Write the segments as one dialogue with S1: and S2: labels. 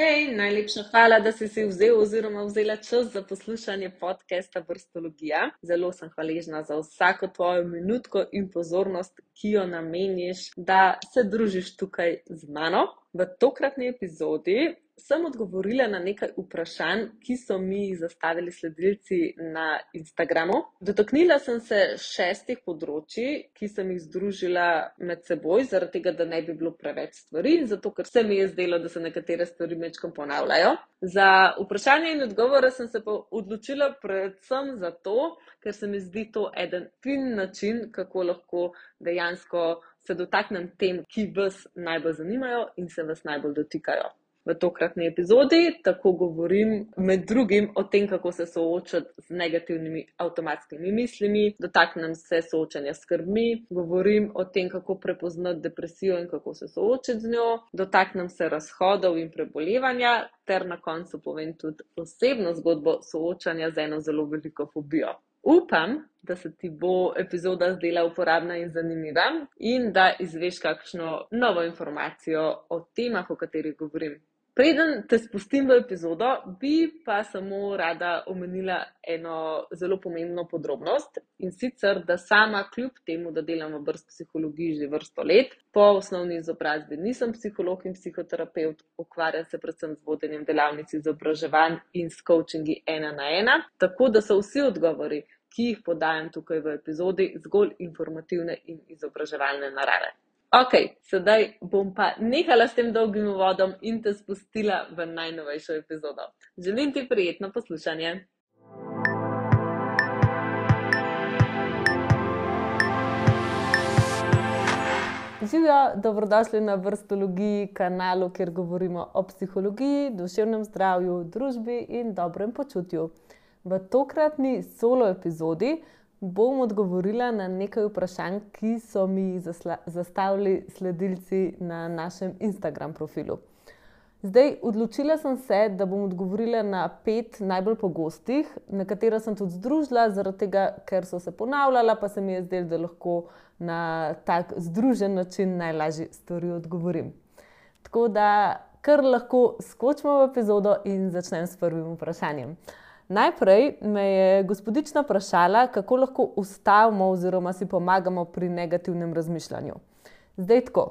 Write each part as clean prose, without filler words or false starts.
S1: Hej, najlepša hvala, da si si vzel oziroma vzela čas za poslušanje podcasta Vrstologija. Zelo sem hvaležna za vsako tvojo minutko in pozornost, ki jo nameniš, da se družiš tukaj z mano. V tokratni epizodi sem odgovorila na nekaj vprašanj, ki so mi jih zastavili sledilci na Instagramu. Dotaknila sem se 6 področji, ki sem jih združila med seboj, zaradi tega, da ne bi bilo preveč stvari, zato ker se mi je zdelo, da se nekatere stvari majčkeno ponavljajo. Za vprašanje in odgovore sem se pa odločila predvsem zato, ker se mi zdi to eden fin način, kako lahko dejansko se dotaknem tem, ki vas najbolj zanimajo in se vas najbolj dotikajo. V tokratni epizodi tako govorim med drugim o tem, kako se soočati z negativnimi avtomatskimi mislimi, dotaknem se soočanja s skrbmi, govorim o tem, kako prepoznati depresijo in kako se soočiti z njo, dotaknem se razhodov in prebolevanja ter na koncu povem tudi osebno zgodbo soočanja z eno zelo veliko fobijo. Upam, da se ti bo epizoda zdela uporabna in zanimiva in da izveš kakšno novo informacijo o temah, o katerih govorim. Preden te spustim v epizodo, bi pa samo rada omenila eno zelo pomembno podrobnost, in sicer, da sama kljub temu, da delam v psihologiji že vrsto let, po osnovni izobrazbi nisem psiholog in psihoterapevt, ukvarjam se predvsem z vodenjem delavnic izobraževanj in s coachingi 1-na-1, tako da so vsi odgovori, ki jih podajam tukaj v epizodi, zgolj informativne in izobraževalne narave. Ok, sedaj bom pa nehala s tem dolgim uvodom in te spustila v najnovejšo epizodo. Želim ti prijetno poslušanje. Živjo, dobrodošli na Vrstologiji, kanalu, kjer govorimo o psihologiji, duševnem zdravju, družbi in dobrem počutju. V tokratni solo epizodi bom odgovorila na nekaj vprašanj, ki so mi zastavili sledilci na našem Instagram profilu. Zdaj, odločila sem se, da bom odgovorila na 5 najbolj pogostih, na katera sem tudi združila, zaradi tega, ker so se ponavljala, pa se mi je zdelo, da lahko na tak združen način najlažje stvari odgovorim. Tako da kar lahko skočimo v epizodo in začnem s prvim vprašanjem. Najprej me je gospodična vprašala, kako lahko ustavimo oziroma si pomagamo pri negativnem razmišljanju. Zdaj tako,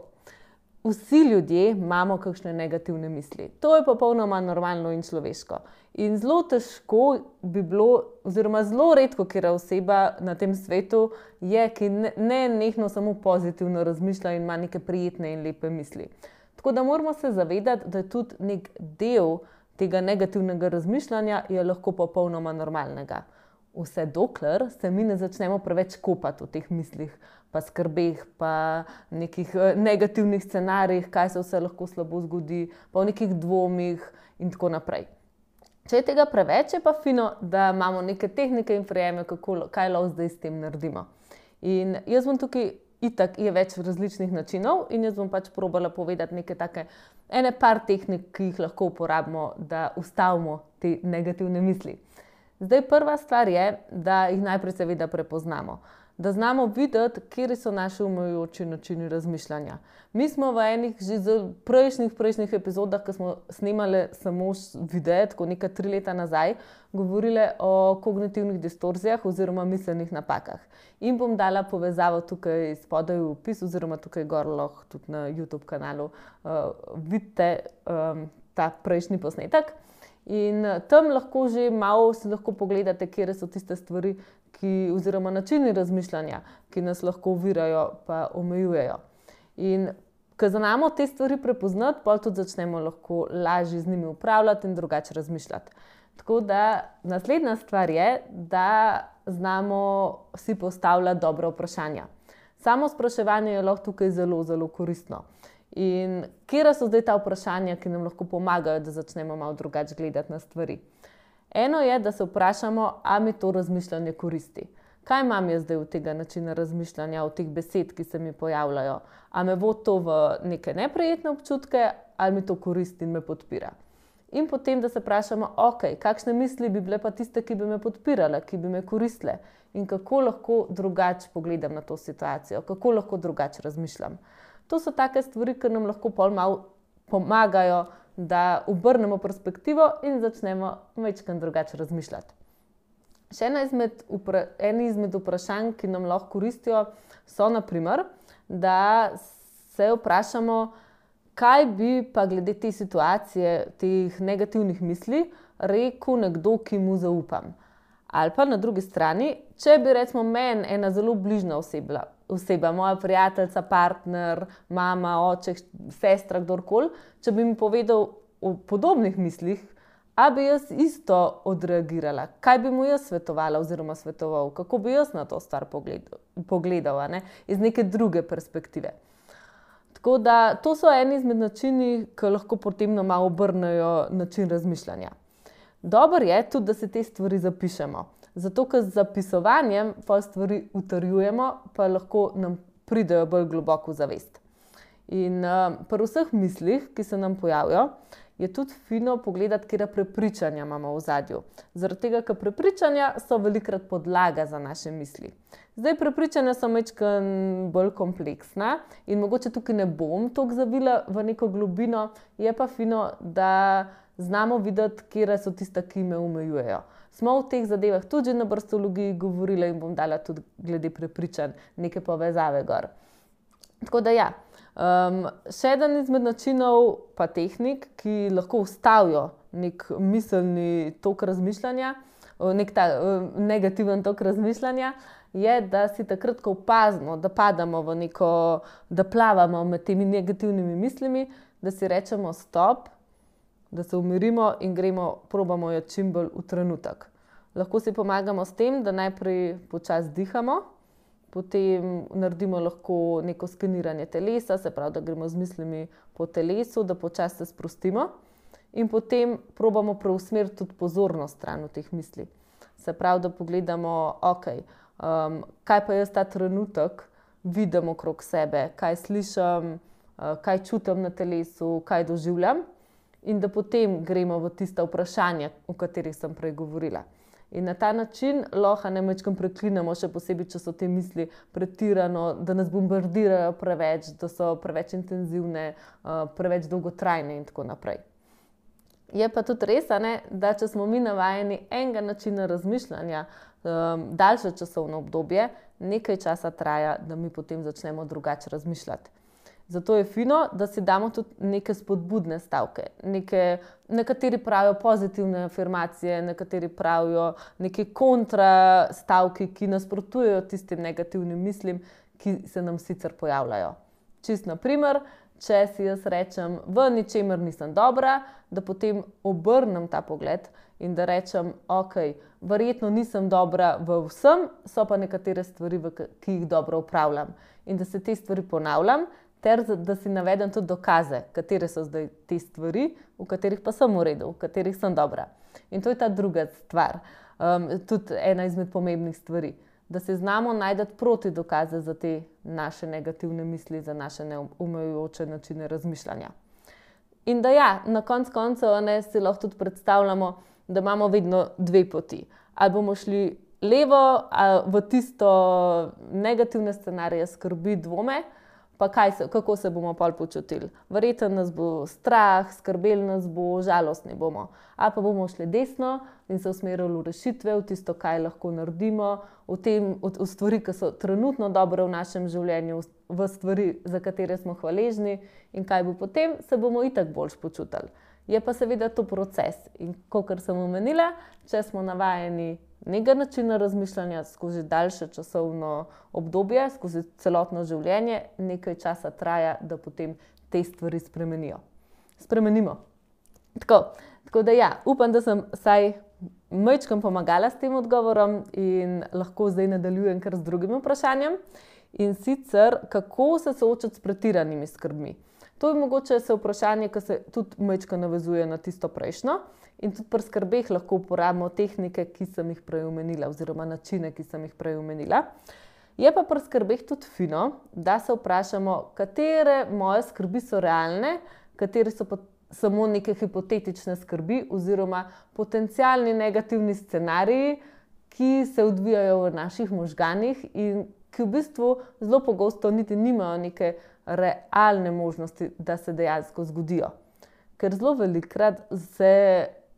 S1: vsi ljudje imamo kakšne negativne misli. To je popolnoma normalno in človeško. In zelo težko bi bilo, oziroma zelo redko katera oseba na tem svetu je, ki ne nehno samo pozitivno razmišlja in ima neke prijetne in lepe misli. Tako da moramo se zavedati, da je tudi nek del tega negativnega razmišljanja je lahko popolnoma normalnega. Vse dokler se mi ne začnemo preveč kopati v teh mislih, pa skrbeh, pa nekih negativnih scenarijih, kaj se vse lahko slabo zgodi, pa v nekih dvomih in tako naprej. Če je tega preveč, je pa fino, da imamo neke tehnike in prijeme, kaj lahko zdaj s tem naredimo. In jaz bom tukaj, itak je več različnih načinov in jaz bom pač probala povedati neke take par tehnik, ki jih lahko uporabimo, da ustavimo te negativne misli. Zdaj, prva stvar je, da jih najprej seveda prepoznamo. Da znamo videti, kje so naši omejujoči načini razmišljanja. Mi smo v enih že prejšnjih epizodah, ko smo snemali samo videe, tako nekaj 3 leta nazaj, govorili o kognitivnih distorzijah oziroma miselnih napakah. In bom dala povezavo tukaj spodaj v opis oziroma tukaj gor lahko tudi na YouTube kanalu vidite ta prejšnji posnetek. In tam lahko že malo si lahko pogledate, kje so tiste stvari, oziroma načini razmišljanja, ki nas lahko ovirajo pa omejujejo. In ko znamo te stvari prepoznati, potem tudi začnemo lahko lažje z njimi upravljati in drugače razmišljati. Tako da naslednja stvar je, da znamo si postavljati dobra vprašanja. Samo spraševanje je lahko tukaj zelo, zelo koristno. In kje so zdaj ta vprašanja, ki nam lahko pomagajo, da začnemo malo drugače gledati na stvari? Eno je, da se vprašamo, ali mi to razmišljanje koristi. Kaj imam jaz zdaj od tega načina razmišljanja, od teh besed, ki se mi pojavljajo? Ali me vodi to v neke neprijetne občutke, ali mi to koristi in me podpira? In potem, da se vprašamo, ok, kakšne misli bi bile pa tiste, ki bi me podpirale, ki bi me koristile? In kako lahko drugače pogledam na to situacijo, kako lahko drugače razmišljam? To so take stvari, ki nam lahko pol malo pomagajo da obrnemo perspektivo in začnemo majčkeno drugače razmišljati. Še eno izmed vprašanj, ki nam lahko koristijo, so naprimer, da se vprašamo, kaj bi pa glede te situacije, teh negativnih misli, rekel nekdo, ki mu zaupam. Ali pa na drugi strani, če bi recimo meni ena zelo bližna oseba, moja prijateljica, partner, mama, oče, sestra, kdorkoli, če bi mi povedal o podobnih mislih, a bi jaz isto odreagirala, kaj bi mu jaz svetovala oziroma svetoval, kako bi jaz na to stvar pogledal, iz neke druge perspektive. Tako da to so eni izmed načini, ki lahko potem malo obrnejo način razmišljanja. Dobro je tudi, da se te stvari zapišemo, zato ker z zapisovanjem pa stvari utrjujemo, pa lahko nam pridejo bolj globoko v zavest. In pri vseh mislih, ki se nam pojavijo, je tudi fino pogledati, katera prepričanja imamo v ozadju. Zaradi tega, ker prepričanja so velikokrat podlaga za naše misli. Zdaj, prepričanja so majčkeno bolj kompleksna in mogoče tukaj ne bom toliko zavila v neko globino, je pa fino, da znamo videti, katere so tiste, ki me omejujejo. Smo v teh zadevah tudi na brstologiji govorili in bom dala tudi glede prepričanj neke povezave gor. Tako da ja. Še eden izmed načinov pa tehnik, ki lahko ustavijo nek miselni tok razmišljanja, nek ta negativen tok razmišljanja, je, da si takrat, ko opazimo, da padamo v neko, da plavamo med temi negativnimi mislimi, da si rečemo stop, da se umirimo in probamo jo čim bolj v trenutek. Lahko si pomagamo s tem, da najprej počasi dihamo, potem naredimo lahko neko skeniranje telesa, se pravi, da gremo z mislimi po telesu, da počasi se sprostimo in potem probamo preusmeriti tudi pozornost stran od teh misli. Se pravi, da pogledamo, kaj pa jaz ta trenutek vidim okrog sebe, kaj slišim, kaj čutim na telesu, kaj doživljam in da potem gremo v tista vprašanja, o katerih sem prej govorila. In na ta način lahko majčkeno preklinemo, še posebej, če so te misli pretirano, da nas bombardirajo preveč, da so preveč intenzivne, preveč dolgotrajne in tako naprej. Je pa tudi res, da če smo mi navajeni enega načina razmišljanja, daljše časovno obdobje, nekaj časa traja, da mi potem začnemo drugače razmišljati. Zato je fino, da si damo tudi neke spodbudne stavke. Nekateri pravijo pozitivne afirmacije, nekateri pravijo neke kontra stavki, ki nasprotujejo tistim negativnim mislim, ki se nam sicer pojavljajo. Čist na primer, če si jaz rečem, v ničemer nisem dobra, da potem obrnem ta pogled in da rečem, verjetno nisem dobra v vsem, so pa nekatere stvari, ki jih dobro upravljam. In da se te stvari ponavljam, ter da si navedem tudi dokaze, katere so zdaj te stvari, v katerih pa sem v redu, v katerih sem dobra. In to je ta druga stvar, tudi ena izmed pomembnih stvari, da se znamo najti proti dokaze za te naše negativne misli, za naše neomejujoče načine razmišljanja. In da ja, na koncu koncev si lahko tudi predstavljamo, da imamo vedno dve poti. Ali bomo šli levo, ali v tisto negativne scenarije, skrbi, dvome, pa kako se bomo pol počutili. Verjetno nas bo strah, skrbeli nas bo, žalostni bomo. Ali pa bomo šli desno in se usmerili v rešitve, v tisto, kaj lahko naredimo, v stvari, ki so trenutno dobre v našem življenju, v stvari, za katere smo hvaležni in kaj bo potem, se bomo itak boljš počutili. Je pa seveda to proces in kakor sem omenila, če smo navajeni nekega načina razmišljanja skozi daljše časovno obdobje, skozi celotno življenje, nekaj časa traja, da potem te stvari spremenimo. Tako da ja, upam, da sem vsaj majčkeno pomagala s tem odgovorom in lahko zdaj nadaljujem kar z drugim vprašanjem. In sicer, kako se soočati s pretiranimi skrbmi. To je mogoče vprašanje, ki se tudi majčkeno navezuje na tisto prejšnjo. In tudi pri skrbeh lahko uporabimo tehnike, ki sem jih prej omenila, oziroma načine, ki sem jih prej omenila. Je pa pri skrbeh tudi fino, da se vprašamo, katere moje skrbi so realne, katere so pa samo neke hipotetične skrbi oziroma potencialni negativni scenariji, ki se odvijajo v naših možganih in ki v bistvu zelo pogosto niti nimajo neke realne možnosti, da se dejansko zgodijo. ker zelo velikokrat se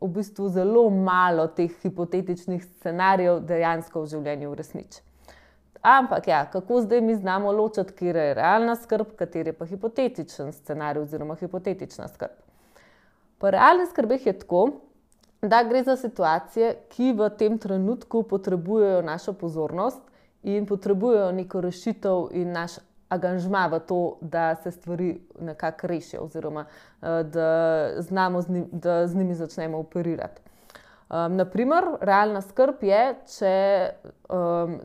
S1: v bistvu zelo malo teh hipotetičnih scenarijev dejansko v življenju uresniči. Ampak ja, kako zdaj mi znamo ločiti, katera je realna skrb, katera je pa hipotetičen scenarij oziroma hipotetična skrb. Pri realnih skrbeh je tako, da gre za situacije, ki v tem trenutku potrebujejo našo pozornost in potrebujejo neko rešitev in naš angažma v to, da se stvari nekako rešijo oziroma da z njimi začnemo operirati. Naprimer, realna skrb je, če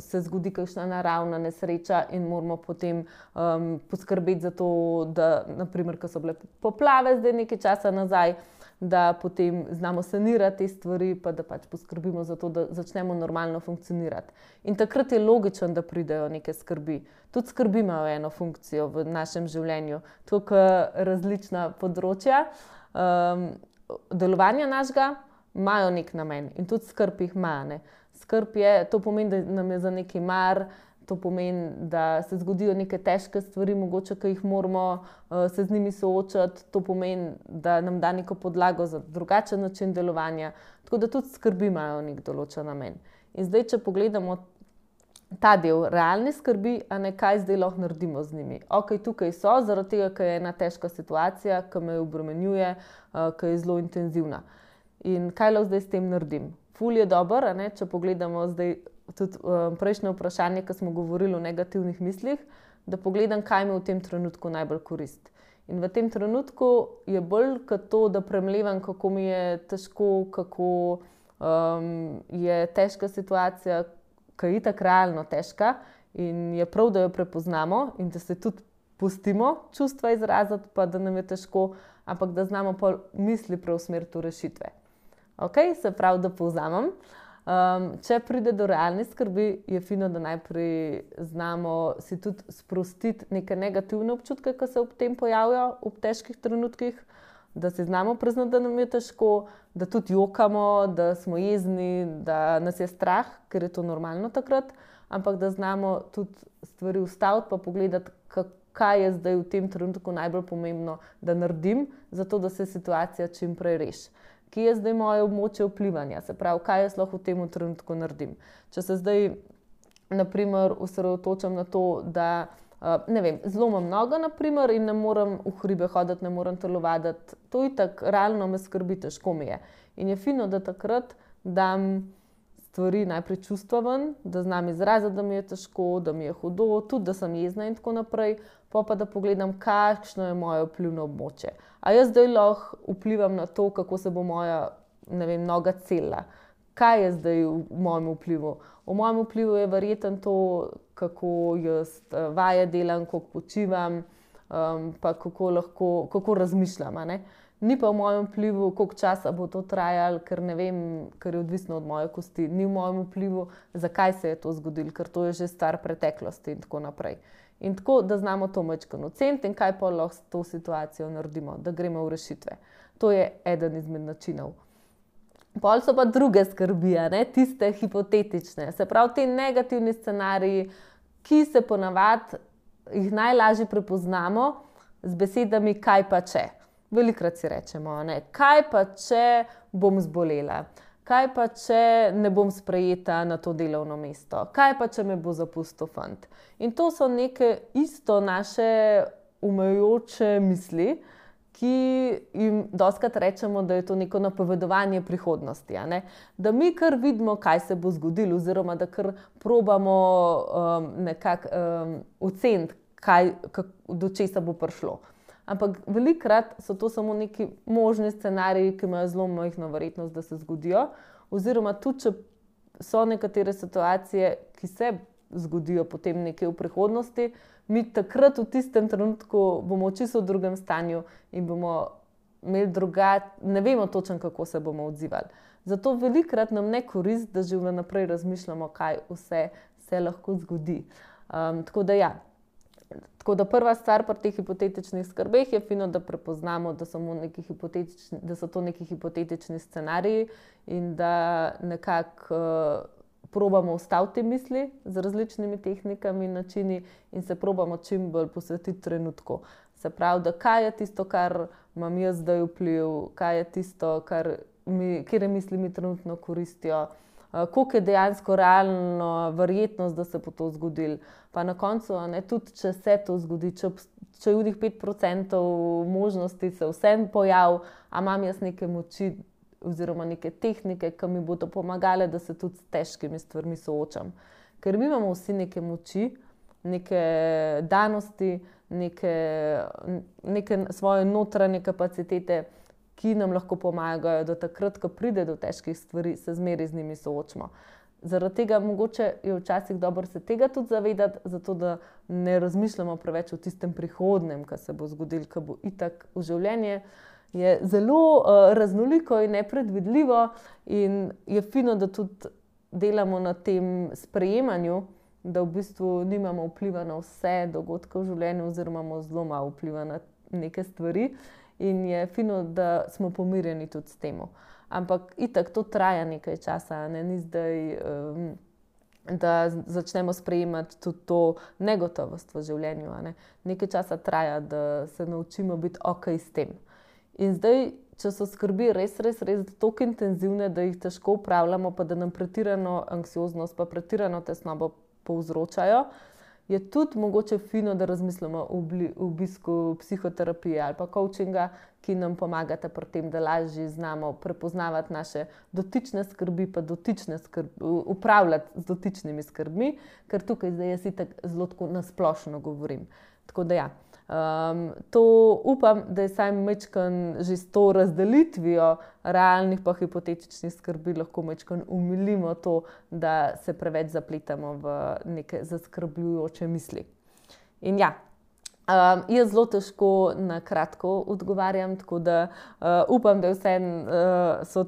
S1: se zgodi kakšna naravna nesreča in moramo potem poskrbeti za to, da, naprimer, ko so bile poplave zdaj nekaj časa nazaj, da potem znamo sanirati te stvari, pa da pač poskrbimo za to, da začnemo normalno funkcionirati. In takrat je logično, da pridejo neke skrbi. Tudi skrbi imajo eno funkcijo v našem življenju, tako kot različna področja delovanja našega imajo nek namen in tudi skrb jih ima, ne. Skrb je, to pomeni, da nam je za nekaj mar, to pomeni, da se zgodijo neke težke stvari, mogoče, ki jih moramo se z njimi soočati, to pomeni, da nam da neko podlago za drugačen način delovanja, tako da tudi skrbi imajo nek določen namen. In zdaj, če pogledamo ta del realne skrbi, a ne, kaj zdaj lahko naredimo z njimi. Ok, tukaj so, zaradi tega, ker je ena težka situacija, ki me obremenjuje, ki je zelo intenzivna. In kaj lahko zdaj s tem naredim? Ful je dobro, a ne, če pogledamo zdaj tudi prejšnje vprašanje, ko smo govorili o negativnih mislih, da pogledam, kaj mi v tem trenutku najbolj koristi. In v tem trenutku je bolj kot to, da premlevam, kako mi je težko, kako je težka situacija, ki je itak realno težka in je prav, da jo prepoznamo in da se tudi pustimo čustva izraziti, pa da nam je težko, ampak da znamo pa misli preusmeriti v rešitve. Ok, se pravi, da povzamem. Če pride do realne skrbi, je fino, da najprej znamo si tudi sprostiti neke negativne občutke, ki se ob tem pojavijo v težkih trenutkih, da si znamo priznati, da nam je težko, da tudi jokamo, da smo jezni, da nas je strah, ker je to normalno takrat, ampak da znamo tudi stvari ustaviti pa pogledati, kaj je zdaj v tem trenutku najbolj pomembno, da naredim, zato da se situacija čim prej reši. Kje je zdaj moje območje vplivanja, se pravi, kaj jaz lahko v tem trenutku naredim. Če se zdaj, naprimer, osredotočam na to, da, ne vem, zlomim nogo, naprimer, in ne morem v hribe hoditi, ne morem telovaditi, to itak realno me skrbi, težko mi je. In je fino, da takrat dam stvari najprej čustva ven, da znam izraziti, da mi je težko, da mi je hudo, tudi da sem jezna in tako naprej, pa da pogledam, kakšno je moje vplivno območje. A jaz zdaj lahko vplivam na to, kako se bo moja, ne vem, noga celila. Kaj je zdaj v mojem vplivu? V mojem vplivu je verjetno to, kako jaz vaje delam, koliko počivam, pa kako razmišljam, a ne. Ni pa v mojem vplivu, koliko časa bo to trajalo, ker ne vem, ker je odvisno od moje kosti. Ni v mojem vplivu, zakaj se je to zgodilo, ker to je že stvar preteklosti in tako naprej. In tako, da znamo to majčkeno oceniti in kaj pa lahko s to situacijo naredimo, da gremo v rešitve. To je eden izmed načinov. Pol so pa druge skrbi, a ne, tiste hipotetične. Se pravi, ti negativni scenariji, ki se ponavadi jih najlažje prepoznamo z besedami kaj pa če. Velikokrat si rečemo, ne, kaj pa če bom zbolela, kaj pa če ne bom sprejeta na to delovno mesto, kaj pa če me bo zapustil fant. In to so neke isto naše omejujoče misli, ki jim dostikrat rečemo, da je to neko napovedovanje prihodnosti, a ne. Da mi kar vidimo, kaj se bo zgodilo, oziroma da kar probamo nekako oceniti, do česa bo prišlo. Ampak velikokrat so to samo neki možni scenariji, ki imajo zelo majhno verjetnost, da se zgodijo. Oziroma tudi, če so nekatere situacije, ki se zgodijo potem nekje v prihodnosti, mi takrat v tistem trenutku bomo čisto v drugem stanju in bomo imeli ne vemo točno, kako se bomo odzivali. Zato velikokrat nam ne koristi, da že vnaprej razmišljamo, kaj vse se lahko zgodi. Tako da ja. Tako da prva stvar pri teh hipotetičnih skrbeh je fino, da prepoznamo, da so to neki hipotetični scenariji in da nekako probamo ustaviti te misli z različnimi tehnikami in načini in se probamo čim bolj posvetiti trenutku. Se pravi, da kaj je tisto, kar imam jaz zdaj vpliv, kaj je tisto, katere misli mi trenutno koristijo, koliko je dejansko realno verjetnost, da se bo to zgodilo. Pa na koncu, tudi če se to zgodi, če je v njih 5% možnosti se vsem pojavi, a imam jaz neke moči oziroma neke tehnike, ki mi bodo pomagale, da se tudi s težkimi stvarmi soočam. Ker mi imamo vsi neke moči, neke danosti, neke svoje notranje kapacitete, ki nam lahko pomagajo, da takrat, ko pride do težkih stvari, se zmeraj z njimi soočimo. Zaradi tega mogoče je včasih dobro se tega tudi zavedati, zato da ne razmišljamo preveč o tistem prihodnjem, kar se bo zgodilo, kar bo itak v življenje. Je zelo raznoliko in nepredvidljivo in je fino, da tudi delamo na tem sprejemanju, da v bistvu nimamo vpliva na vse dogodke v življenju oziroma imamo zelo malo vpliva na neke stvari in je fino, da smo pomirjeni tudi s tem. Ampak itak to traja nekaj časa, ni zdaj, da začnemo sprejemati tudi to negotovost v življenju. Nekaj časa traja, da se naučimo biti okej s tem. In zdaj, če so skrbi res toliko intenzivne, da jih težko upravljamo, pa da nam pretirano anksioznost pa pretirano tesnobo povzročajo, je tudi mogoče fino, da razmislimo o obisku psihoterapije ali pa coachinga, ki nam pomagata pri tem, da lažje znamo prepoznavati naše dotične skrbi, pa upravljati z dotičnimi skrbmi, ker tukaj zdaj jaz itak zelo tako na splošno govorim. Tako da ja. To upam, da je saj majčkeno že s to razdelitvijo realnih pa hipotetičnih skrbi lahko majčkeno umilimo to, da se preveč zapletamo v neke zaskrbljujoče misli. In ja, jaz zelo težko na kratko odgovarjam, tako da upam, da so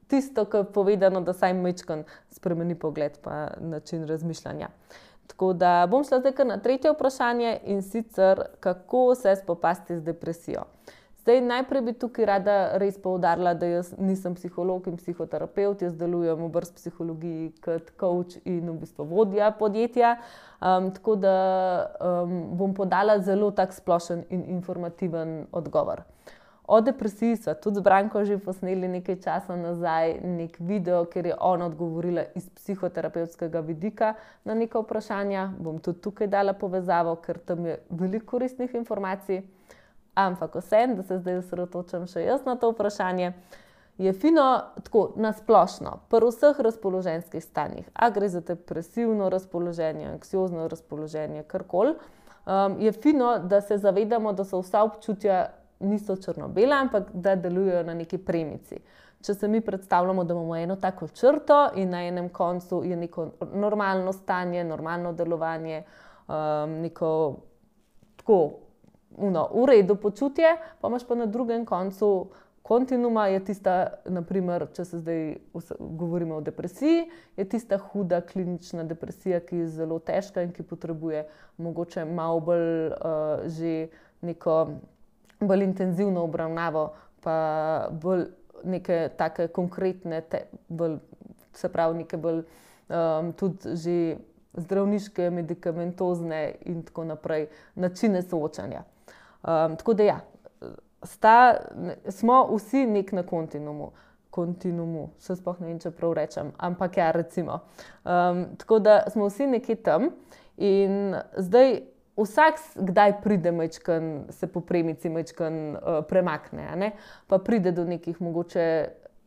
S1: tisto, kar je povedano, da saj majčkeno spremeni pogled pa način razmišljanja. Tako da bom šla zdaj kar na tretje vprašanje in sicer, kako se spopasti z depresijo. Zdaj, najprej bi tukaj rada res poudarila, da jaz nisem psiholog in psihoterapevt, jaz delujem v Brz psihologiji kot coach in v bistvu vodja podjetja, tako da bom podala zelo tak splošen in informativen odgovor. O depresiji sva tudi z Branko že posneli nekaj časa nazaj nek video, kjer je ona odgovorila iz psihoterapevtskega vidika na neka vprašanja. Bom tudi tukaj dala povezavo, ker tam je veliko koristnih informacij. Ampak vseeno, da se zdaj osredotočam še jaz na to vprašanje, je fino tako na splošno, pri vseh razpoloženjskih stanjih, a gre za depresivno razpoloženje, anksiozno razpoloženje, karkoli, je fino, da se zavedamo, da so vsa občutja niso črno-bela, ampak da delujejo na neki premici. Če se mi predstavljamo, da imamo eno tako črto in na enem koncu je neko normalno stanje, normalno delovanje, neko tako v redu počutje, pa imaš pa na drugem koncu kontinuuma, je tista, naprimer, če se zdaj govorimo o depresiji, je tista huda klinična depresija, ki je zelo težka in ki potrebuje mogoče malo bolj že neko bolj intenzivno obravnavo, pa bolj neke take konkretne, se pravi neke bolj tudi že zdravniške, medikamentozne in tako naprej načine soočanja. Tako da ja, smo vsi nek na kontinuumu, še sploh ne vem, če prav rečem, ampak ja, recimo. Tako da smo vsi nekje tam in zdaj vsak kdaj pride majčkeno, se po premici majčkeno premakne, pa pride do nekih mogoče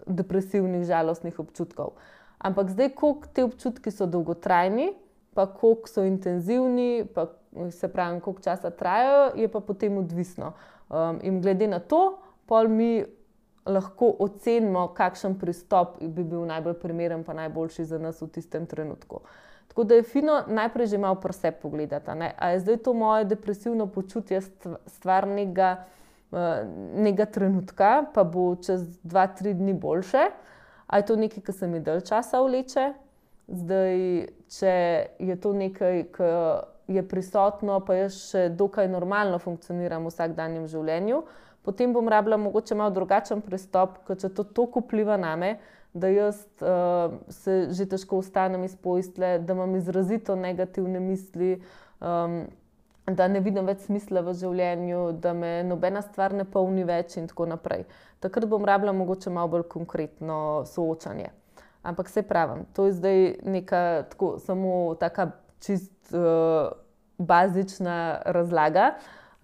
S1: depresivnih, žalostnih občutkov. Ampak zdaj, koliko te občutki so dolgotrajni, pa koliko so intenzivni, pa se pravi, koliko časa trajajo, je pa potem odvisno. In glede na to, pol mi lahko ocenimo, kakšen pristop bi bil najbolj primeren pa najboljši za nas v tistem trenutku. Tako da je fino najprej že malo pri sebi pogledati, a je zdaj to moje depresivno počutje stvar nekega trenutka, pa bo čez 2-3 dni boljše, a je to nekaj, ki se mi dalj časa vleče. Zdaj, če je to nekaj, ki je prisotno, pa jaz še dokaj normalno funkcioniram v vsakdanjem življenju, potem bom rabila mogoče malo drugačen pristop, ker če to toliko vpliva name, da jaz se že težko vstanem iz postelje, da imam izrazito negativne misli, da ne vidim več smisla v življenju, da me nobena stvar ne polni več in tako naprej. Takrat bom rabila mogoče malo bolj konkretno soočanje. Ampak saj pravim, to je zdaj neka tako samo taka čist bazična razlaga.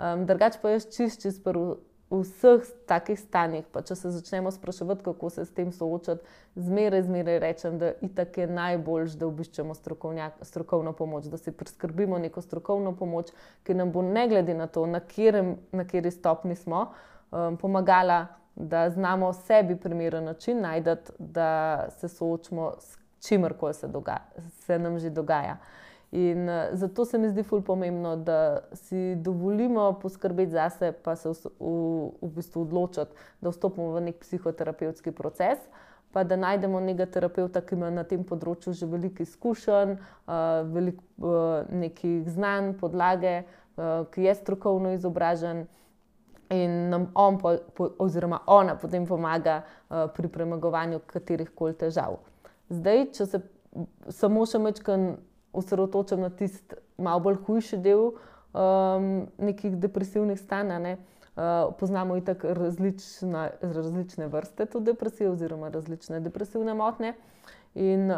S1: Drugače pa jaz čist pri vseh takih stanjih, pa če se začnemo spraševati, kako se s tem soočati, zmeraj rečem, da itak je najboljše, da obiščemo strokovno pomoč, da si priskrbimo neko strokovno pomoč, ki nam bo ne glede na to, na kateri stopnji smo, pomagala, da znamo sebi primeren način najti, da se soočimo s čimerkoli se nam že dogaja. In zato se mi zdi ful pomembno, da si dovolimo poskrbeti zase, pa se v bistvu odločiti, da vstopimo v nek psihoterapevtski proces, pa da najdemo nekega terapevta, ki ima na tem področju že veliko izkušenj, veliko nekih znanj, podlage, ki je strokovno izobražen in nam on oziroma ona potem pomaga pri premagovanju katerihkoli težav. Zdaj, če se samo še majčkeno osredotočam na tisti malo bolj hujši del nekih depresivnih stanj, poznamo itak različne vrste tudi depresije oziroma različne depresivne motnje. In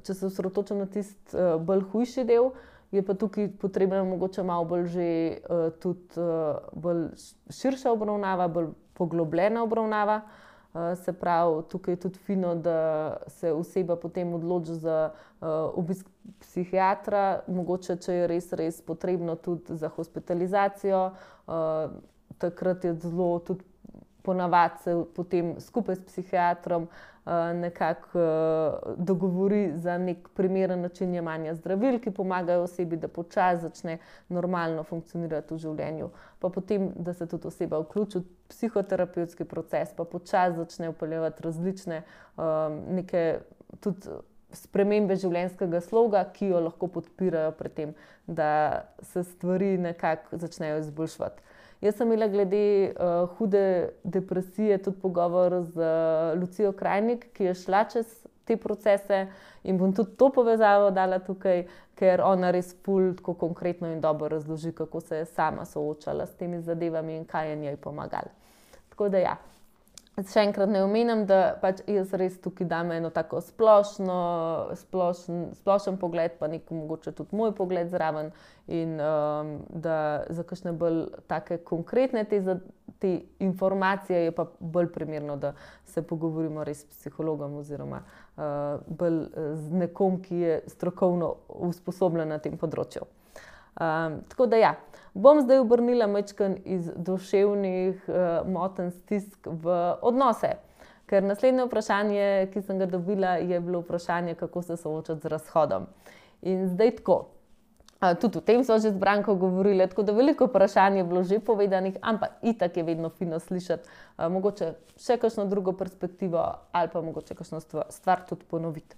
S1: če se osredotočam na tisti bolj hujši del, je pa tukaj potrebna mogoče malo bolj že tudi bolj širša obravnava, bolj poglobljena obravnava. Se pravi, tukaj je tudi fino, da se oseba potem odloči za obisk psihiatra, mogoče, če je res potrebno tudi za hospitalizacijo. Takrat je zelo tudi ponavadi se potem skupaj s psihiatrom nekako dogovori za nek primeren način jemanja zdravil, ki pomagajo osebi, da počasi začne normalno funkcionirati v življenju. Pa potem, da se tudi oseba vključi v psihoterapevtski proces, pa počasi začne vpeljevati različne neke tudi spremembe življenjskega sloga, ki jo lahko podpirajo pri tem, da se stvari nekako začnejo izboljševati. Jaz sem imela glede hude depresije tudi pogovor z Lucijo Krajnik, ki je šla čez te procese, in bom tudi to povezavo dala tukaj, ker ona res ful tako konkretno in dobro razloži, kako se je sama soočala s temi zadevami in kaj je njej pomagalo. Tako da ja. Še enkrat ne omenjam, da pač jaz res tukaj dam eno tako splošen pogled, pa nek mogoče tudi moj pogled zraven, in da za kakšne bolj take konkretne te informacije je pa bolj primerno, da se pogovorimo res s psihologom oziroma bolj z nekom, ki je strokovno usposobljen na tem področju. Tako da ja, bom zdaj obrnila majčkeno iz duševnih motenj, stisk v odnose. Ker naslednje vprašanje, ki sem ga dobila, je bilo vprašanje, kako se soočati z razhodom. In zdaj tako, tudi o tem so že z Branko govorili, tako da veliko vprašanj je bilo že povedanih, ampak itak je vedno fino slišati mogoče še kakšno drugo perspektivo ali pa mogoče kakšno stvar tudi ponoviti.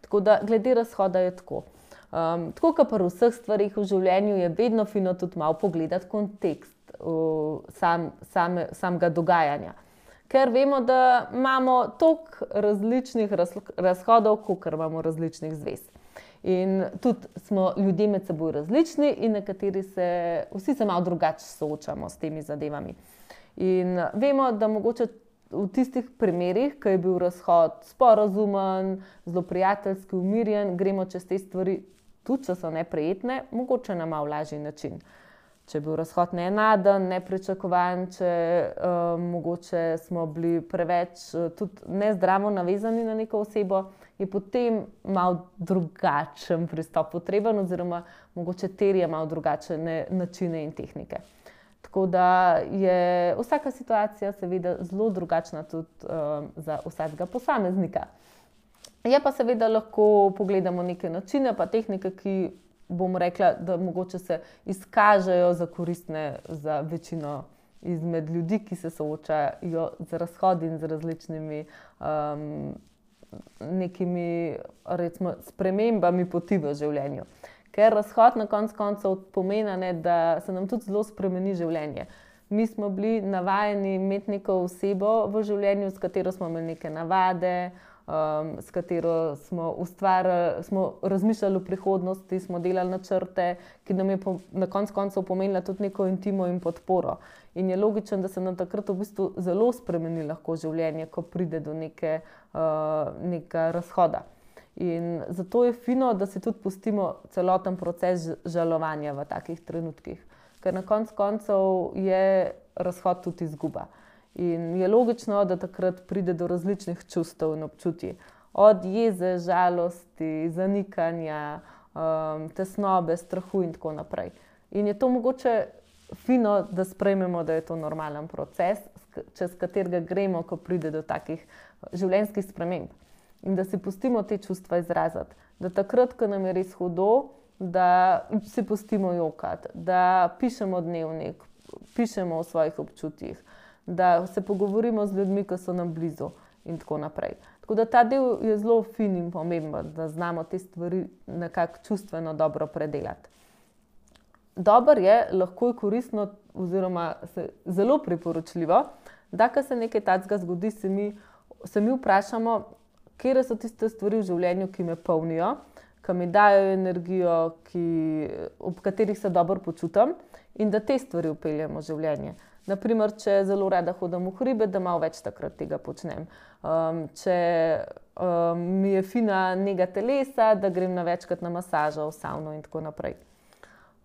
S1: Tako da glede razhoda je tako. Tako kot pri vseh stvarih v življenju je vedno fino tudi malo pogledati kontekst samega dogajanja. Ker vemo, da imamo toliko različnih razhodov, kolikor imamo različnih zvez. In tudi smo ljudje med seboj različni in vsi se malo drugače soočamo s temi zadevami. In vemo, da mogoče v tistih primerih, ko je bil razhod sporazumen, zelo prijateljski, umirjen, gremo čez te stvari, tudi če so neprijetne, mogoče na malo lažji način. Če je bil razhod neenaden, nepričakovan, če mogoče smo bili preveč tudi nezdravo navezani na neko osebo, je potem malo drugačen pristop potreben oziroma mogoče terja malo drugačne načine in tehnike. Tako da je vsaka situacija seveda zelo drugačna tudi za vsakega posameznika. Je pa seveda lahko pogledamo neke načine pa tehnike, ki bom rekla, da mogoče se izkažejo za koristne za večino izmed ljudi, ki se soočajo z razhodi in z različnimi nekimi recimo spremembami poti v življenju. Ker razhod na koncu koncev pomeni, da se nam tudi zelo spremeni življenje. Mi smo bili navajeni imeti neko osebo v življenju, s katero smo imeli neke navade, s katero smo razmišljali o prihodnosti, smo delali načrte, ki nam je na koncu koncev pomenila tudi neko intimo in podporo. In je logično, da se nam takrat v bistvu zelo spremeni lahko življenje, ko pride do nekega razhoda. In zato je fino, da si tudi pustimo celoten proces žalovanja v takih trenutkih. Ker na koncu koncev je razhod tudi izguba. In je logično, da takrat pride do različnih čustev in občutij. Od jeze, žalosti, zanikanja, tesnobe, strahu in tako naprej. In je to mogoče fino, da sprejmemo, da je to normalen proces, čez katerega gremo, ko pride do takih življenjskih sprememb. In da si pustimo te čustva izraziti. Da takrat, ko nam je res hudo, da si pustimo jokati, da pišemo dnevnik, pišemo o svojih občutjih, da se pogovorimo z ljudmi, ki so nam blizu in tako naprej. Tako da ta del je zelo fin in pomemben, da znamo te stvari nekako čustveno dobro predelati. Dobro je, lahko je koristno oziroma zelo priporočljivo, da ko se nekaj takega zgodi, se mi vprašamo, katere so tiste stvari v življenju, ki me polnijo, ki mi dajo energijo, ob katerih se dobro počutim in da te stvari vpeljemo v življenje. Naprimer, če zelo rada hodim v hribe, da malo več takrat tega počnem. Če mi je fina nega telesa, da grem večkrat na masažo, v savno in tako naprej.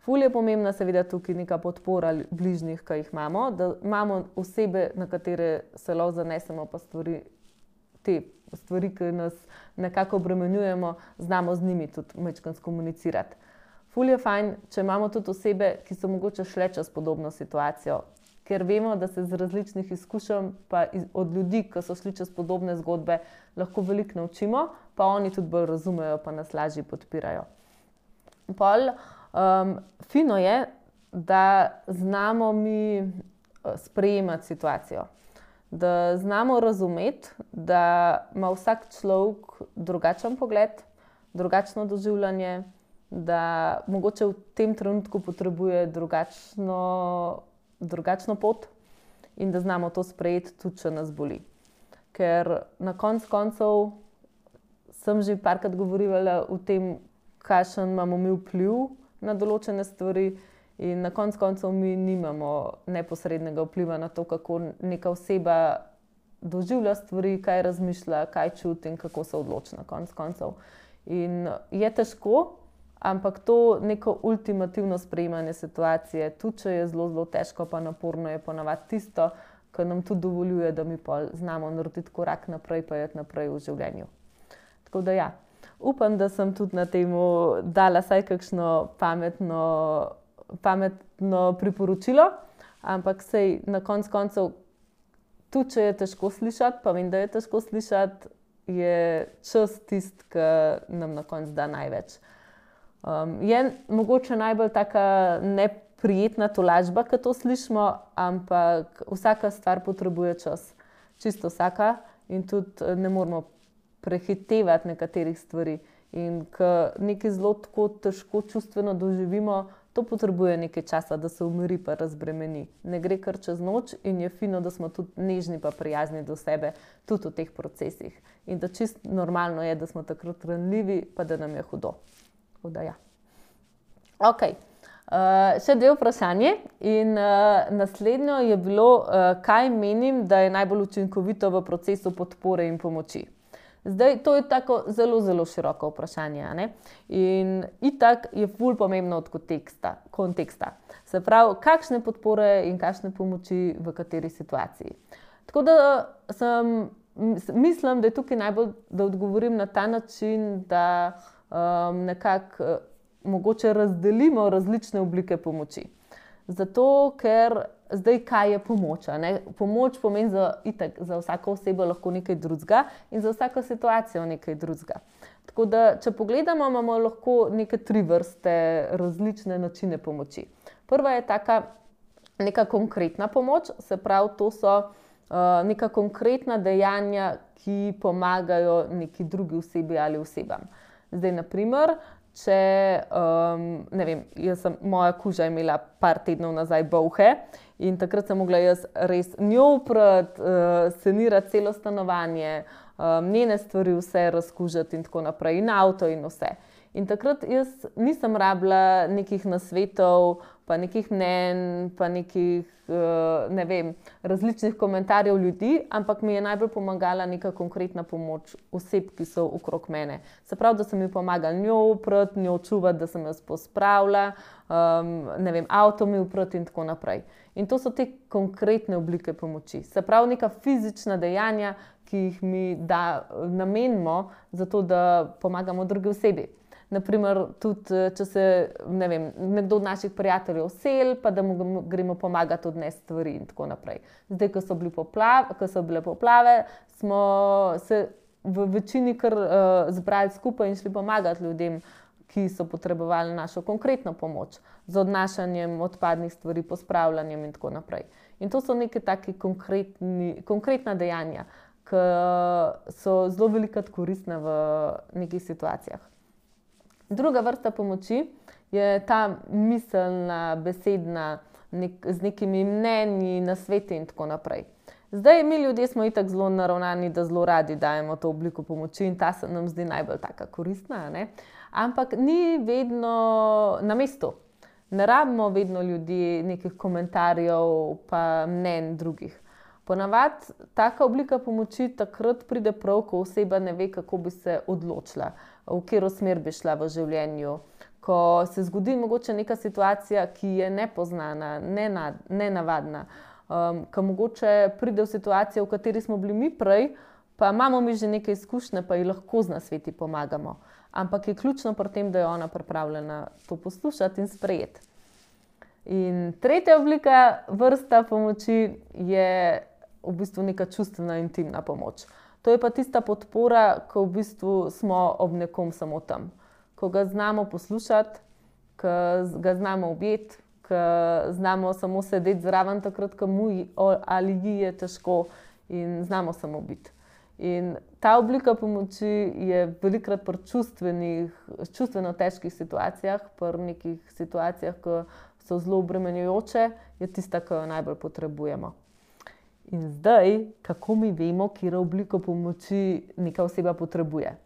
S1: Ful je pomembna seveda tukaj neka podpora bližnjih, ki jih imamo, da imamo osebe, na katere se lahko zanesemo, pa te stvari, ki nas nekako obremenjujemo, znamo z njimi tudi majčkeno skomunicirati. Ful je fajn, če imamo tudi osebe, ki so mogoče šle čez podobno situacijo, ker vemo, da se z različnih izkušenj pa od ljudi, ki so šli čez podobne zgodbe, lahko veliko naučimo, pa oni tudi bolj razumejo, pa nas lažje podpirajo. Fino je, da znamo mi sprejemati situacijo. Da znamo razumeti, da ima vsak človek drugačen pogled, drugačno doživljanje, da mogoče v tem trenutku potrebuje drugačno pot in da znamo to sprejeti tudi, če nas boli. Ker na koncu koncev sem že parkrat govorila o tem, kakšen imamo mi vpliv na določene stvari in na koncu koncev mi nimamo neposrednega vpliva na to, kako neka oseba doživlja stvari, kaj razmišlja, kaj čuti in kako se odloči na koncu koncev. In je težko, ampak to neko ultimativno sprejemanje situacije, tudi če je zelo, zelo težko pa naporno, je ponavadi tisto, kar nam tudi dovoljuje, da mi pol znamo narediti korak naprej, pa iti naprej v življenju. Tako da ja, upam, da sem tudi na temu dala vsaj kakšno pametno priporočilo, ampak sej na koncu koncev, tudi če je težko slišati, pa vem, da je težko slišati, je čas tisti, ki nam na koncu da največ. Je mogoče najbolj taka neprijetna tolažba, ko to slišimo, ampak vsaka stvar potrebuje čas. Čisto vsaka in tudi ne moramo prehitevati nekaterih stvari. In ko nekaj zelo tako težko čustveno doživimo, to potrebuje nekaj časa, da se umiri pa razbremeni. Ne gre kar čez noč in je fino, da smo tudi nežni pa prijazni do sebe, tudi v teh procesih. In da čisto normalno je, da smo takrat ranljivi, pa da nam je hudo. Tako da ja. Ok, še dve vprašanje in naslednjo je bilo, kaj menim, da je najbolj učinkovito v procesu podpore in pomoči. Zdaj, to je tako zelo, zelo široko vprašanje, a ne? In itak je ful pomembno od konteksta. Se pravi, kakšne podpore in kakšne pomoči v kateri situaciji. Tako da mislim, da je tukaj najbolj, da odgovorim na ta način, da nekako mogoče razdelimo različne oblike pomoči. Zato, ker zdaj kaj je pomoč? Pomoč pomeni za vsako osebo lahko nekaj drugega in za vsako situacijo nekaj drugega. Tako da, če pogledamo, imamo lahko neke 3 vrste različne načine pomoči. Prva je taka neka konkretna pomoč, se pravi, to so neka konkretna dejanja, ki pomagajo neki drugi osebi ali osebam. Zdaj, naprimer, če, ne vem, moja koža je imela par tednov nazaj bolhe in takrat sem mogla jaz res njo oprati, sanirati celo stanovanje, njene stvari vse razkužiti in tako naprej, in avto in vse. In takrat jaz nisem rabila nekih nasvetov, pa nekih mnenj, pa nekih, ne vem, različnih komentarjev ljudi, ampak mi je najbolj pomagala neka konkretna pomoč oseb, ki so okrog mene. Se pravi, da sem mi pomagala njo oprati, njo čuvati, da sem jaz pospravila, ne vem, avto mi oprati in tako naprej. In to so te konkretne oblike pomoči. Se pravi, neka fizična dejanja, ki jih mi namenimo za to, da pomagamo drugi osebi. Naprimer, tudi če se, ne vem, nekdo od naših prijateljev seli, pa da mu gremo pomagati odnesti stvari in tako naprej. Zdaj, ko so bile poplave, smo se v večini kar zbrali skupaj in šli pomagati ljudem, ki so potrebovali našo konkretno pomoč z odnašanjem odpadnih stvari, pospravljanjem in tako naprej. In to so neke take konkretna dejanja, ki so zelo velikokrat koristne v nekih situacijah. Druga vrsta pomoči je ta miselna, besedna, z nekimi mnenji, nasveti in tako naprej. Zdaj, mi ljudje smo itak zelo naravnani, da zelo radi dajemo to obliko pomoči in ta se nam zdi najbolj taka koristna, ne? Ampak ni vedno na mestu. Ne rabimo vedno ljudi nekih komentarjev pa mnenj drugih. Ponavadi taka oblika pomoči takrat pride prav, ko oseba ne ve, kako bi se odločila, v katero smer bi šla v življenju. Ko se zgodi mogoče neka situacija, ki je nepoznana, nenavadna, ko mogoče pride v situacijo, v kateri smo bili mi prej, pa imamo mi že neke izkušnje, pa ji lahko z nasveti pomagamo. Ampak je ključno pri tem, da je ona pripravljena to poslušati in sprejeti. In tretja vrsta pomoči je v bistvu neka čustvena, intimna pomoč. To je pa tista podpora, ko v bistvu smo ob nekom samo tam. Ko ga znamo poslušati, ko ga znamo objeti, ko znamo samo sedeti zraven takrat, ko mu ali ji je težko in znamo samo biti. In ta oblika pomoči je velikokrat pri čustveno težkih situacijah, pri nekih situacijah, ki so zelo obremenjujoče, je tista, ki jo najbolj potrebujemo. In zdaj, kako mi vemo, katero obliko pomoči neka oseba potrebuje?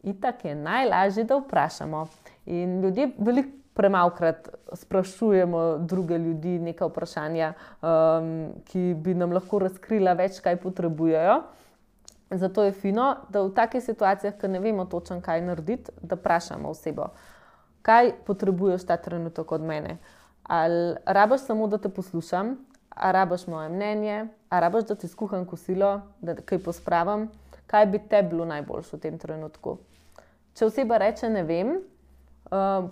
S1: Itak je najlažje, da vprašamo. In ljudje veliko premalokrat sprašujemo druge ljudi neka vprašanja, ki bi nam lahko razkrila več, kaj potrebujejo. Zato je fino, da v takih situacijah, ko ne vemo točno, kaj narediti, da vprašamo osebo, kaj potrebuješ ta trenutek od mene. Ali rabiš samo, da te poslušam, ali rabiš moje mnenje, ali rabiš, da ti skuham kosilo, da kaj pospravim, kaj bi te bilo najboljše v tem trenutku. Če oseba reče ne vem,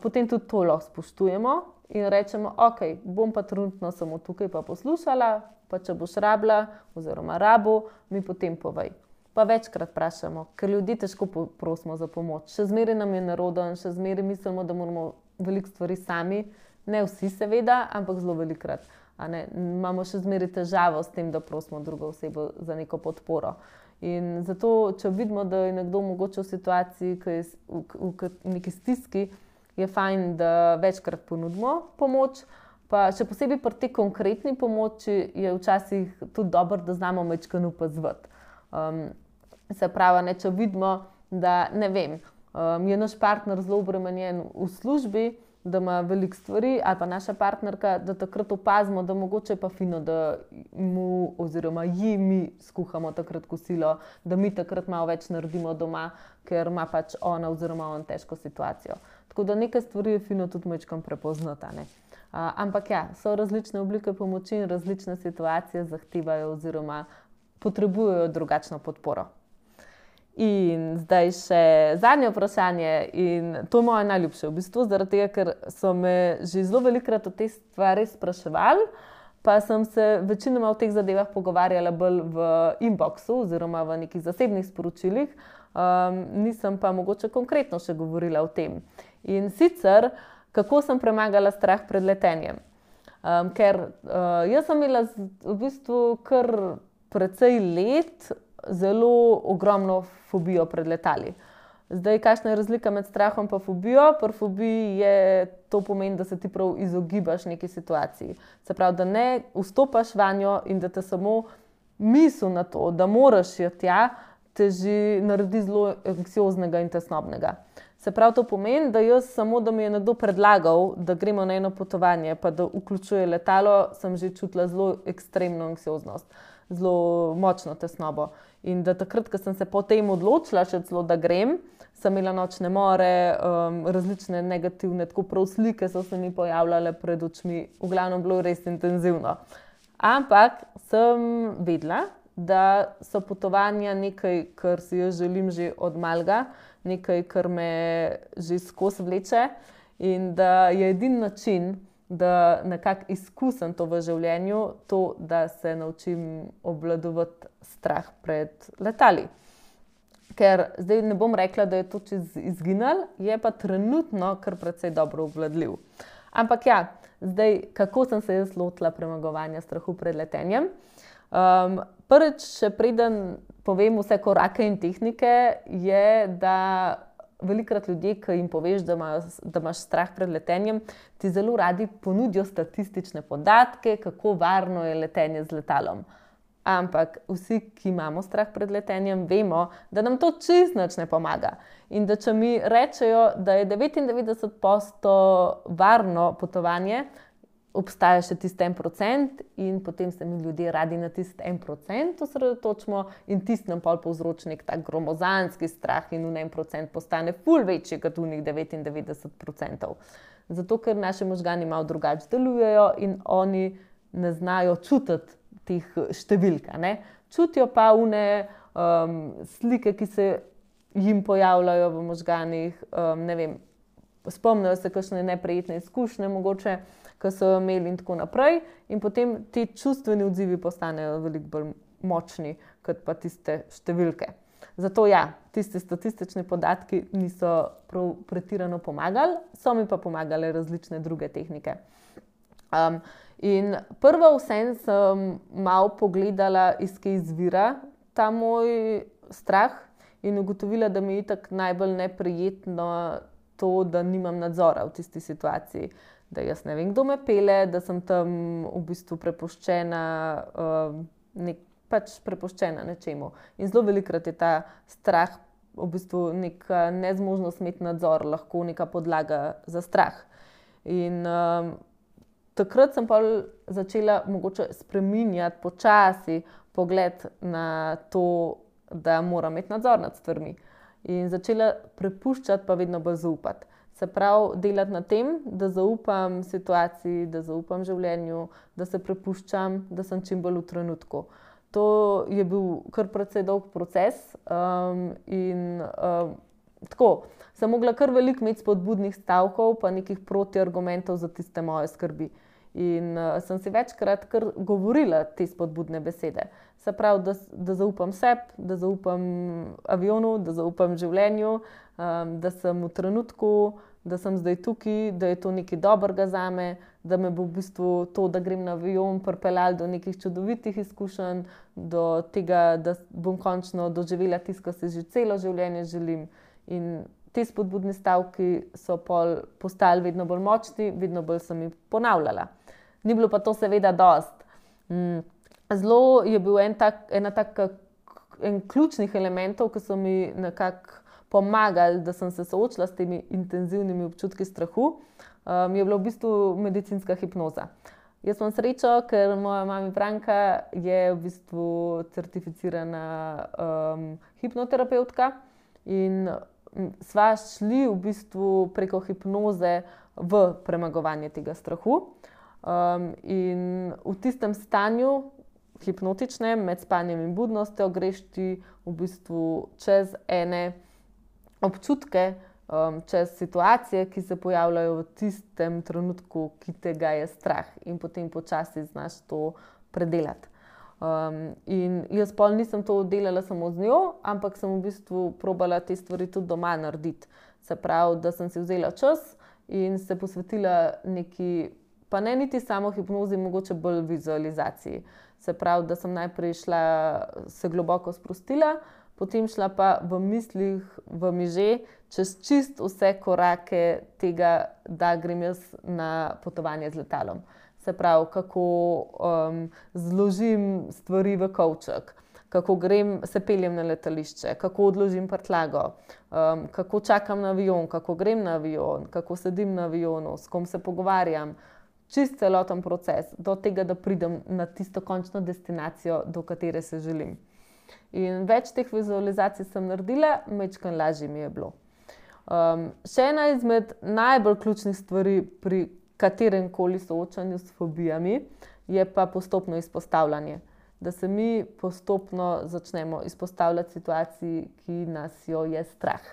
S1: potem tudi to lahko spoštujemo in rečemo, ok, bom pa trenutno samo tukaj pa poslušala, pa če boš rabila oziroma rabil, mi potem povej. Pa večkrat vprašamo, ker ljudi težko prosimo za pomoč. Še zmeraj nam je nerodno, še zmeraj mislimo, da moramo veliko stvari sami, ne vsi seveda, ampak zelo velikokrat. Imamo še zmeraj težavo s tem, da prosimo drugo osebo za neko podporo. In zato, če vidimo, da je nekdo mogoče v situaciji, ki je v neki stiski, je fajn, da večkrat ponudimo pomoč. Pa še posebej pri tej konkretni pomoči je včasih tudi dobro, da znamo majčkeno opazovati. Se pravi, če vidimo, da ne vem, je naš partner zelo obremenjen v službi, da ima veliko stvari, ali pa naša partnerka, da takrat opazimo, da mogoče je pa fino, da mu oziroma ji mi skuhamo takrat kosilo, da mi takrat malo več naredimo doma, ker ima pač ona oziroma on težko situacijo. Tako da nekaj stvari je fino tudi majčkeno prepoznati, ne. Ampak ja, so različne oblike pomoči in različne situacije zahtevajo oziroma potrebujejo drugačno podporo. In zdaj še zadnje vprašanje in to je moje najljubše v bistvu, zaradi tega, ker so me že zelo velikokrat o te stvari spraševali, pa sem se večinoma o teh zadevah pogovarjala bolj v inboxu oziroma v nekih zasebnih sporočilih, nisem pa mogoče konkretno še govorila o tem. In sicer, kako sem premagala strah pred letenjem. Ker jaz sem imela v bistvu kar precej let zelo ogromno fobijo pred letali. Zdaj, kakšna je razlika med strahom in fobijo? Pri fobiji je to pomeni, da se ti prav izogibaš neki situaciji. Se pravi, da ne vstopaš vanjo in da te samo misel na to, da moraš jo tja, te že naredi zelo anksioznega in tesnobnega. Se pravi, to pomeni, da jaz samo, da mi je nekdo predlagal, da gremo na eno potovanje, pa da vključuje letalo, sem že čutila zelo ekstremno anksioznost, zelo močno tesnobo. In da takrat, ko sem se potem odločila še celo, da grem, sem imela nočne more, različne negativne, tako prav slike so se mi pojavljale pred očmi, v glavnem bilo res intenzivno. Ampak sem vedela, da so potovanja nekaj, kar si jaz želim že od malega, nekaj, kar me že skozi vleče in da je edini način, da nekako izkusim to v življenju, to, da se naučim obvladovati strah pred letali. Ker zdaj ne bom rekla, da je to čez izginilo, je pa trenutno kar precej dobro obvladljiv. Ampak ja, zdaj, kako sem se jaz lotila premagovanja strahu pred letenjem? Prvič, še preden povem vse korake in tehnike, je, da velikokrat ljudje, ki jim poveš, da imaš strah pred letenjem, ti zelo radi ponudijo statistične podatke, kako varno je letenje z letalom. Ampak vsi, ki imamo strah pred letenjem, vemo, da nam to čisto nič ne pomaga. In da če mi rečejo, da je 99% varno potovanje, obstaja še tisti 1% in potem se mi ljudje radi na tisti 1% osredotočimo in tisti nam pol povzroči nek tak gromozanski strah in v 1% postane ful večji kot v njih 99%. Zato, ker naši možgani malo drugače delujejo in oni ne znajo čutiti teh številk, ne. Čutijo pa slike, ki se jim pojavljajo v možganih, ne vem, spomnijo se kakšne neprijetne izkušnje mogoče, ki so jo imeli in tako naprej. In potem ti čustveni odzivi postanejo veliko bolj močni, kot pa tiste številke. Zato ja, tisti statistični podatki niso prav pretirano pomagali, so mi pa pomagale različne druge tehnike. In prvo vseeno sem malo pogledala, iz kje izvira ta moj strah in ugotovila, da mi je itak najbolj neprijetno to, da nimam nadzora v tisti situaciji. Da jaz ne vem, kdo me pelje, da sem tam v bistvu prepuščena, prepuščena nečemu. In zelo velikokrat je ta strah v bistvu neka nezmožnost imeti nadzor, lahko neka podlaga za strah. In takrat sem pa začela mogoče spreminjati počasi pogled na to, da moram imeti nadzor nad stvarmi. In začela prepuščati, pa vedno bolj zaupati. Se pravi, delati na tem, da zaupam situaciji, da zaupam življenju, da se prepuščam, da sem čim bolj v trenutku. To je bil kar precej dolg proces in tako. Sem mogla kar veliko imeti spodbudnih stavkov pa nekih protiargumentov za tiste moje skrbi. In sem si večkrat kar govorila te spodbudne besede. Se pravi, da zaupam sebi, da zaupam avionu, da zaupam življenju, da sem v trenutku, da sem zdaj tukaj, da je to nekaj dobrega zame, da me bo v bistvu to, da grem na avion, pripeljalo do nekih čudovitih izkušenj, do tega, da bom končno doživela tisto, kar si že celo življenje želim. In ti spodbudni stavki so postali vedno bolj močni, vedno bolj sem jih ponavljala. Ni bilo pa to seveda dosti. Zelo je bil en ključnih elementov, ki so mi nekako pomagali, da sem se soočila s temi intenzivnimi občutki strahu, je bila v bistvu medicinska hipnoza. Jaz imam srečo, ker moja mama Branka je v bistvu certificirana hipnoterapevtka in sva šli v bistvu preko hipnoze v premagovanje tega strahu. In v tistem stanju hipnotičnem, med spanjem in budnostjo, greš ti v bistvu čez ene občutke, čez situacije, ki se pojavljajo v tistem trenutku, ki te ga je strah, in potem počasi znaš to predelati. In jaz pol nisem to delala samo z njo, ampak sem v bistvu probala te stvari tudi doma narediti. Se pravi, da sem si vzela čas in se posvetila neki, pa ne niti samo hipnozi, mogoče bolj vizualizaciji. Se pravi, da sem najprej šla, se globoko sprostila, potem šla pa v mislih, v miže, čez čist vse korake tega, da grem jaz na potovanje z letalom. Se pravi, kako zložim stvari v kovček, kako se peljem na letališče, kako odložim prtljago, kako čakam na avion, kako grem na avion, kako sedim na avionu, s kom se pogovarjam. Čist celoten proces do tega, da pridem na tisto končno destinacijo, do katere se želim. In več teh vizualizacij sem naredila, majčkeno lažje mi je bilo. Še ena izmed najbolj ključnih stvari pri kateremkoli soočanju s fobijami je pa postopno izpostavljanje. Da se mi postopno začnemo izpostavljati situaciji, ki nas jo je strah.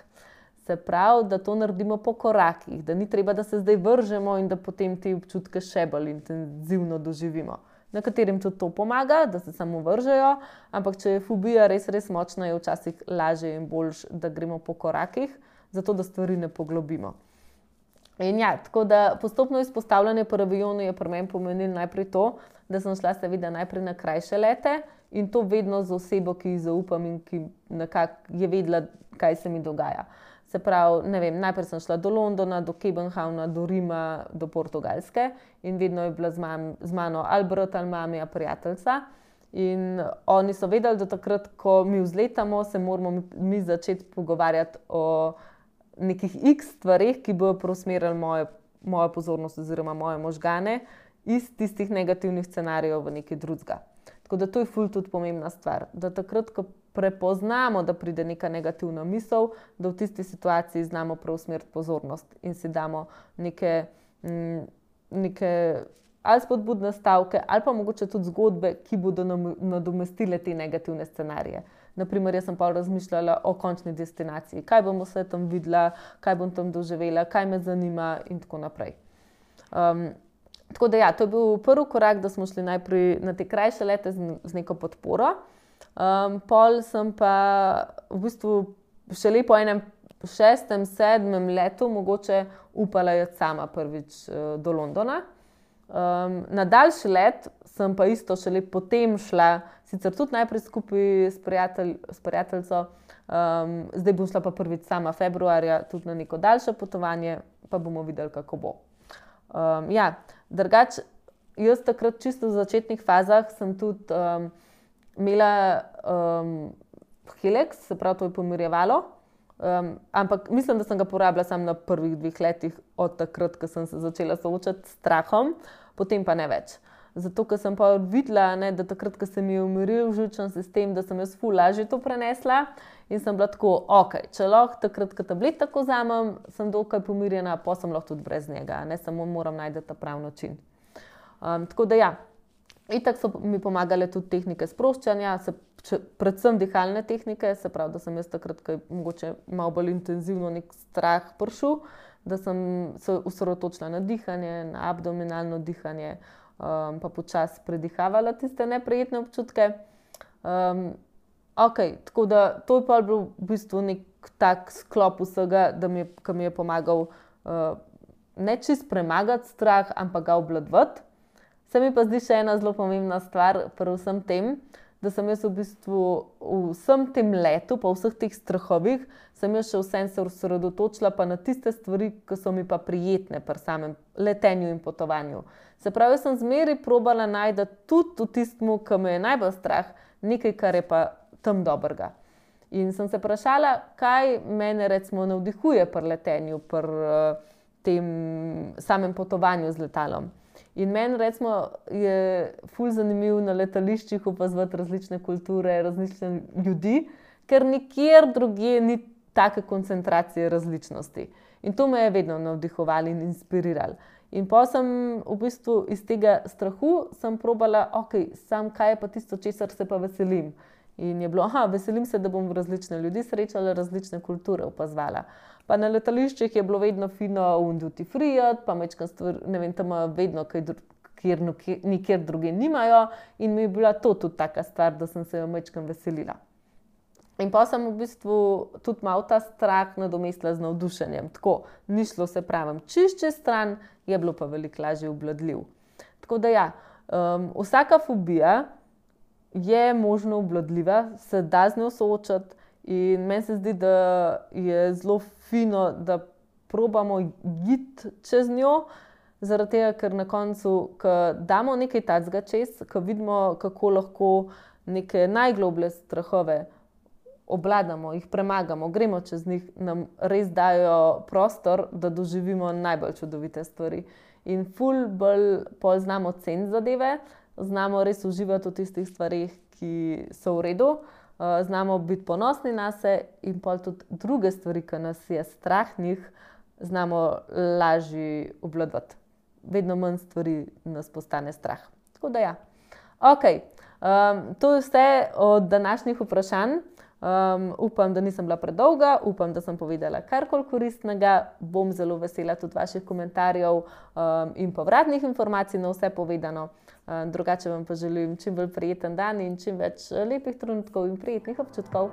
S1: Se pravi, da to naredimo po korakih, da ni treba, da se zdaj vržemo in da potem te občutke še bolj intenzivno doživimo. Nekaterim tudi to pomaga, da se samo vržejo, ampak če je fobija res, res močna, je včasih lažje in boljše, da gremo po korakih, zato da stvari ne poglobimo. In ja, tako da postopno izpostavljanje po avionu je pri meni pomenilo najprej to, da sem šla seveda najprej na krajše lete in to vedno z osebo, ki ji zaupam in ki nekako je vedela, kaj se mi dogaja. Se pravi, ne vem, najprej sem šla do Londona, do Kebenhavna, do Rima, do Portugalske in vedno je bila z mano ali brat ali mama, prijateljica. In oni so vedeli, da takrat, ko mi vzletamo, se moramo mi začeti pogovarjati o nekih x stvareh, ki bodo preusmerili mojo pozornost oziroma moje možgane iz tistih negativnih scenarijev v nekaj drugega. Tako da to je ful tudi pomembna stvar, da takrat, ko prepoznamo, da pride neka negativna misel, da v tisti situaciji znamo preusmeriti pozornost in si damo neke ali spodbudne stavke ali pa mogoče tudi zgodbe, ki bodo nadomestile te negativne scenarije. Naprimer, jaz sem pa razmišljala o končni destinaciji, kaj bom vse tam videla, kaj bom tam doživela, kaj me zanima in tako naprej. Tako da ja, to je bil prvi korak, da smo šli najprej na te krajše lete z neko podporo. Pol sem pa v bistvu šele po enem 6., 7. letu mogoče upala iti sama prvič do Londona. Na daljši let sem pa isto šele potem šla, sicer tudi najprej skupaj s prijateljico, zdaj bom šla pa prvič sama februarja tudi na neko daljše potovanje, pa bomo videli, kako bo. Ja, drugače, jaz takrat čisto v začetnih fazah sem tudi imela Helix, se pravi, to je pomirjevalo, ampak mislim, da sem ga porabila samo na prvih 2 letih od takrat, ko sem se začela soočati s strahom, potem pa ne več. Zato, ker sem pa videla, da takrat, ko se mi je umiril živčni sistem, da sem jaz ful lažje to prenesla in sem bila tako, ok, če lahko takrat, ko tablet tako vzamem, sem dokaj pomirjena, pa sem lahko tudi brez njega, ne samo moram najti ta pravi način. Tako da ja, itak so mi pomagale tudi tehnike sproščanja, predvsem dihalne tehnike, se pravi, da sem jaz takrat, ko je mogoče malo bolj intenzivno nek strah prišel, da sem se osredotočila na dihanje, na abdominalno dihanje, pa počasi predihavala tiste neprijetne občutke. Tako da to je pa bil v bistvu nek tak sklop vsega, ki mi je pomagal ne čist premagati strah, ampak ga obvladovati. Se mi pa zdi še ena zelo pomembna stvar pri vsem tem, da sem jaz v bistvu v vsem tem letu, pa vseh teh strahovih, sem jaz še vsem se osredotočila pa na tiste stvari, ki so mi pa prijetne pri samem letenju in potovanju. Se pravi, jaz sem zmeraj probala najti tudi v tistemu, ki me je najbolj strah, nekaj, kar je pa tam dobrega. In sem se vprašala, kaj mene recimo navdihuje pri letenju, pri tem samem potovanju z letalom. In meni recimo je ful zanimivo na letališčih opazovati različne kulture, različne ljudi, ker nikjer drugje ni take koncentracije različnosti. In to me je vedno navdihovalo in inspiriralo. In pa sem v bistvu iz tega strahu sem probala, sam kaj je pa tisto, česar se pa veselim. In je bilo, veselim se, da bom različne ljudi srečala, različne kulture opazovala. Pa na letališčih je bilo vedno fino duty free, pa mečkam stvar, ne vem, tam vedno, kjer nikjer druge nimajo. In mi je bila to tudi taka stvar, da sem se jo mečkam veselila. In pa sem v bistvu tudi malo ta strah nadomestila z navdušenjem. Tako, ni šlo se pravim čez stran, je bilo pa veliko lažje obvladljiv. Tako da ja, vsaka fobija je možno obvladljiva, se da z njo soočati In meni se zdi, da je zelo fino, da probamo iti čez njo, zaradi tega, ker na koncu, ko damo nekaj takega čez, ko vidimo, kako lahko neke najgloblje strahove obvladamo, jih premagamo, gremo čez njih, nam res dajo prostor, da doživimo najbolj čudovite stvari. In ful bolj pol znamo ceniti zadeve, znamo res uživati v tistih stvarih, ki so v redu, znamo biti ponosni nase in pol tudi druge stvari, ki nas je strah njih, znamo lažje obvladovati. Vedno manj stvari nas postane strah. Tako da ja. Ok, to je vse od današnjih vprašanj. Upam, da nisem bila predolga, upam, da sem povedala karkoli koristnega. Bom zelo vesela tudi vaših komentarjev in povratnih informacij na vse povedano. Drugače vam pa želim čim bolj prijeten dan in čim več lepih trenutkov in prijetnih občutkov.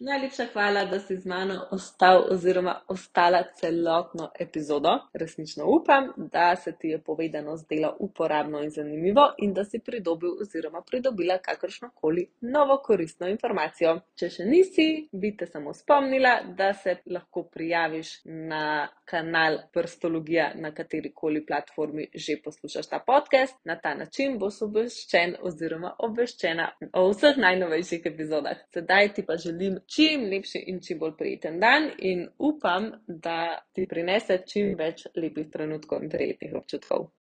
S1: Najlepša hvala, da si z mano ostal oziroma ostala celotno epizodo. Resnično upam, da se ti je povedano zdelo uporabno in zanimivo in da si pridobil oziroma pridobila kakršnokoli novo koristno informacijo. Če še nisi, bi te samo spomnila, da se lahko prijaviš na kanal Prstologija na katerikoli platformi že poslušaš ta podcast. Na ta način boš obveščen oziroma obveščena o vseh najnovejših epizodah. Sedaj ti pa želim čim lepši in čim bolj prijeten dan in upam, da ti prinese čim več lepih trenutkov in prijetnih občutkov.